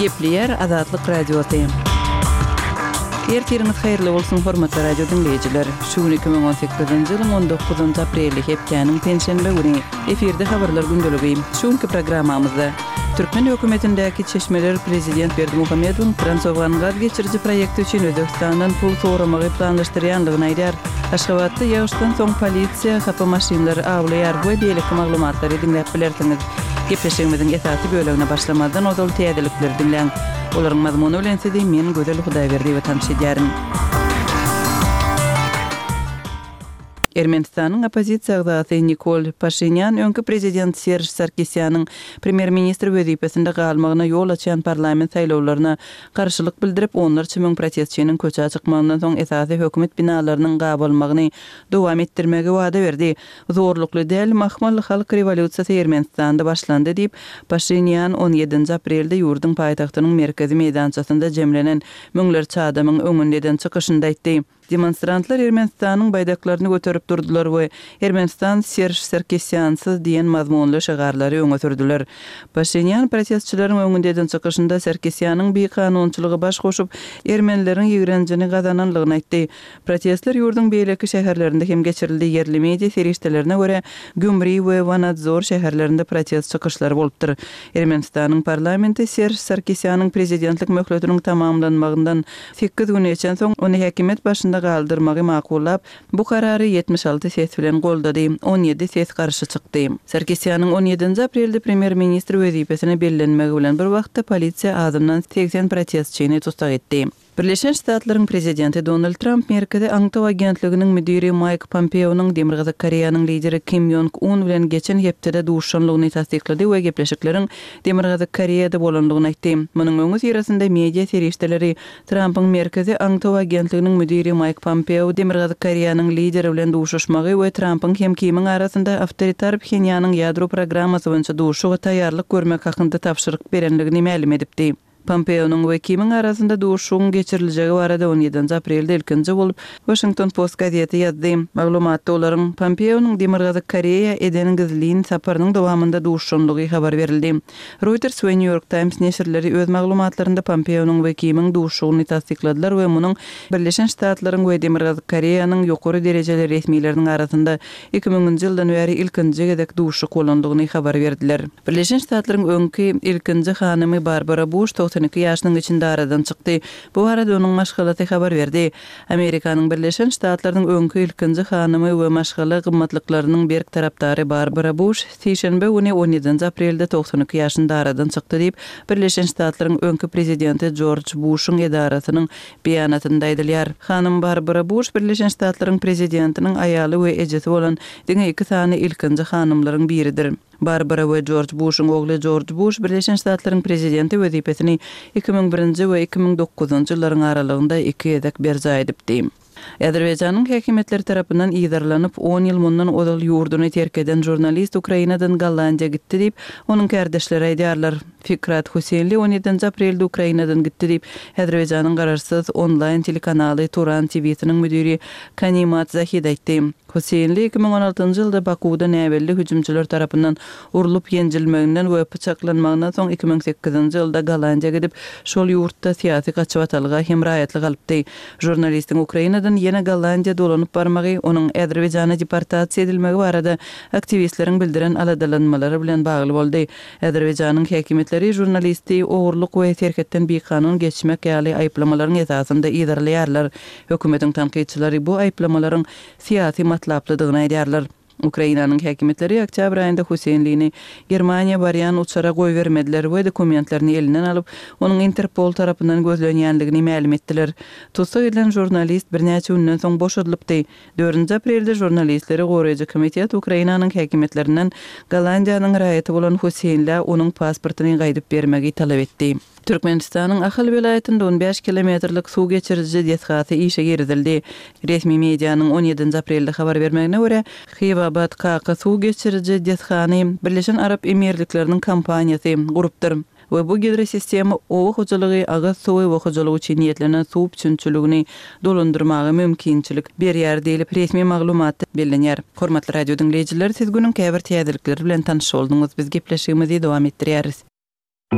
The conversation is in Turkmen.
Gepleýär Azatlyk Radiosy. Ertiriňiz haýyrly bolsun, hormatly radio diňleýjiler! Şu gün 2018-nji ýylyň 19-njy apreli, hepdäniň penşenbe güni. Efirde Habarlar gündeligi. Şu günki programmamyzda Türkmen hökümetindäki çeşmeler prezident Berdimuhamedowyň Transowgan gaz geçiriji proýekti üçin Özbegistandan pul soramagy planlaşdyrýandygyny aýdýar. Aşgabatda ýagyşdan soň polisiýa hapa maşynlary awlaýar we beýleki maglumatlary diňläp bilersiňiz. Gepleşigimiziň esasy bölegine başlamazdan ozal täzelikleri diňläň. Olaryň mazmuny bilen sizi men Gözel Hudaýberdiýewa tanyş edýärin. Ermenistanyň oppozisiýa agzasy Nikol Paşinýan öňki prezident Serž Sarkisýanyň premýer-ministr wezipesinde galmagyna ýol açýan parlament saýlawlaryna garşylyk bildirip, onlarça müň protestçiniň köçä çykmagyndan soň esasy hökümet binalarynyň gabalmagyny dowam etdirmegi wada berdi. Zorlukly däl, mahmal halk rewolýusiýasy Ermenistanda başlandy diýip, Paşinýan on ýedinji aprelde ýurduň paýtagtynyň merkezi meýdançasynda jemlenen müňlerçe adamyň öňünde eden çykyşynda aýtdy. Demonstrantlar Ermenistanyň baýdaklaryny göterip durdular we Ermenistan Serž Sarkisýansyz diýen mazmunly şygarlary öňe sürdüler. Paşinýan protestçileriň öňünde eden çykyşynda Sarkisýanyň bikanunçylyga baş goşup, ermenileriň ýigrenjini gazananlygyny aýtdy. Protestler ýurduň beýleki şäherlerinde hem geçirildi. Ýerli media serişdelerine görä, Gýumri we Wanadzor şäherlerinde protest çykyşlary bolupdyr. Ermenistanyň parlamenti Serž Sarkisýanyň prezidentlik möhletiniň tamamlanmagyndan Sekiz gün geçensoň, ony häkimiýet başynda galdyrmagy makullap, bu karary 76 ses bilen goldady, 17 ses garşy çykdy. Sarkisýanyň on ýedinji aprelde premýer-ministr wezipesine bellenmegi bilen bir wagtda polisiýa azyndan 80 protestçini tussag etdi. Birleşen Ştatlaryň prezidenti Donald Tramp Merkezi aňtaw agentliginiň müdiri Maýk Pompeonyň Demirgazyk Koreýanyň lideri Kim Ýong Un bilen geçen hepdede duşanlygyny tassyklady we gepleşikleriň Demirgazyk Koreýada bolandygyny aýtdy. Munuň öňüsyrasynda media serişdeleri Trampyň Merkezi aňtaw agentliginiň müdiri Maýk Pompeo Demirgazyk Koreýanyň lideri bilen duşuşmagy we Trampyň hem Kimiň arasynda awtoritar Phenýanyň ýadro programmasy boýunça duşuşyga taýýarlyk görmek hakynda tabşyryk berenligini mälim edipdi. Pompeonyň we Kimiň arasynda duşuşygyň geçiriljegi barada on ýedinji aprelde ilkinji bolup Washington Post gazeti ýazdy. Maglumatda olaryň Pompeonyň Demirgazyk Koreýa eden gizlin saparynyň dowamynda duşuşanlygy habar berildi. Reuters we New York Times neşirleri öz maglumatlarynda Pompeonyň we Kimiň duşuşygyny tassykladylar we munuň Birleşen Ştatlaryň we Demirgazyk Koreýanyň ýokary derejeli resmileriniň arasynda Iki müňünji ýyldan bäri ilkinji gezek duşuşyk bolandygyny habar berdiler. Birleşen Ştatlaryň öňki ilkinji hanymy Barbara Buş 92 ýaşynyň içinde aradan çykdy. Bu barada onuň maşgalasy habar berdi. Amerikanyň Birleşen Ştatlarynyň öňki ilkinji hanymy we maşgala gymmatlyklarynyň berk tarapdary Barbara Buş sişenbe güni on ýedinji aprelde 92 ýaşynda aradan çykdy diýip, Birleşen Ştatlaryň öňki prezidenti Jorj Buşuň edarasynyň Beýanatynda aýdylýar. Hanym Barbara Buş Birleşen Ştatlaryň prezidentiniň aýaly we ejesi bolan diňe iki sany ilkinji hanymlaryň biridir. Barbara we Jorj Buşuň ogly Jorj Buş Birleşen Ştatlaryň prezidenti wezipesini 2001-nji we 2009-njy ýyllaryň aralygynda iki gezek berjaý edipdi. Azerbaýjanyň häkimiýetleri tarapyndan yzarlanyp, on ýyl mundan ozal ýurduny terk eden žurnalist Ukrainadan Gollandiýa gitdi diýip, onuň kärdeşleri aýdýarlar. Fikrat Huseýnli on ýedinji aprelde Ukrainadan gitdi diýip, Azerbaýjanyň garaşsyz onlaýn telekanaly Turan TV-siniň müdiri Kanimat Zahid aýtdy. Huseýnli 2016-njy ýylda Bakuwda näbelli hüjümçiler tarapyndan urlup ýenjilmeginden we pyçaklanmagyndan soň 2008-nji ýylda Gollandiýa gidip, şol ýurtda syýasy gaçybatalga hem raýatlyk alypdy. Žurnalistiň Ukrainadan ýene Gollandiýa dolanyp barmagy, onuň Azerbaýjana deportasiýa edilmegi barada aktiwistleriň bildiren aladalanmalary bilen bagly boldy. Azerbaýjanyň häkimiýetleri žurnalisti ogurlyk we serhetden bikanun geçmek ýaly aýyplamalaryň esasynda yzarlaýarlar. Hökümetiň tankytçylary bu aýyplamalaryň syýasy matlaplydygyny aýdýarlar. Ukrainanyň häkimiýetleri oktýabr aýynda Huseýnlini Germaniýa barýan uçara goýbermediler we dokumentlerini elinden alyp, onuň Interpol tarapyndan gözlenýändigini mälim etdiler. Tussag edilen žurnalist birnäçe günden soň boşadylypdy. Dördünji aprelde Žurnalistleri goraýjy komitet Ukrainanyň häkimiýetlerinden Gollandiýanyň raýaty bolan Huseýnlä onuň pasportyny gaýdyp bermegi talap etdi. Türkmenistanyň Ahal welaýatynda on bäş kilometrlik suw geçiriji desgasy işe girizildi. Resmi medianyň on ýedinji aprelde habar bermegine görä, Hywabat-Kaka suw geçiriji desgany Birleşen Arap Emirlikleriniň kompaniýasy gurupdyr. We bu gidrosistema oba hojalygy, agyz suwy we hojalyk üçin niýetlenen suw üpjünçiligini dolandyrmaga mümkinçilik berýär diýlip, resmi maglumatda bellenýär. Hormatly radio diňleýjiler, siz günüň käbir täzelikleri bilen tanyş bolduňyz. Biz gepleşigimizi dowam etdirýäris.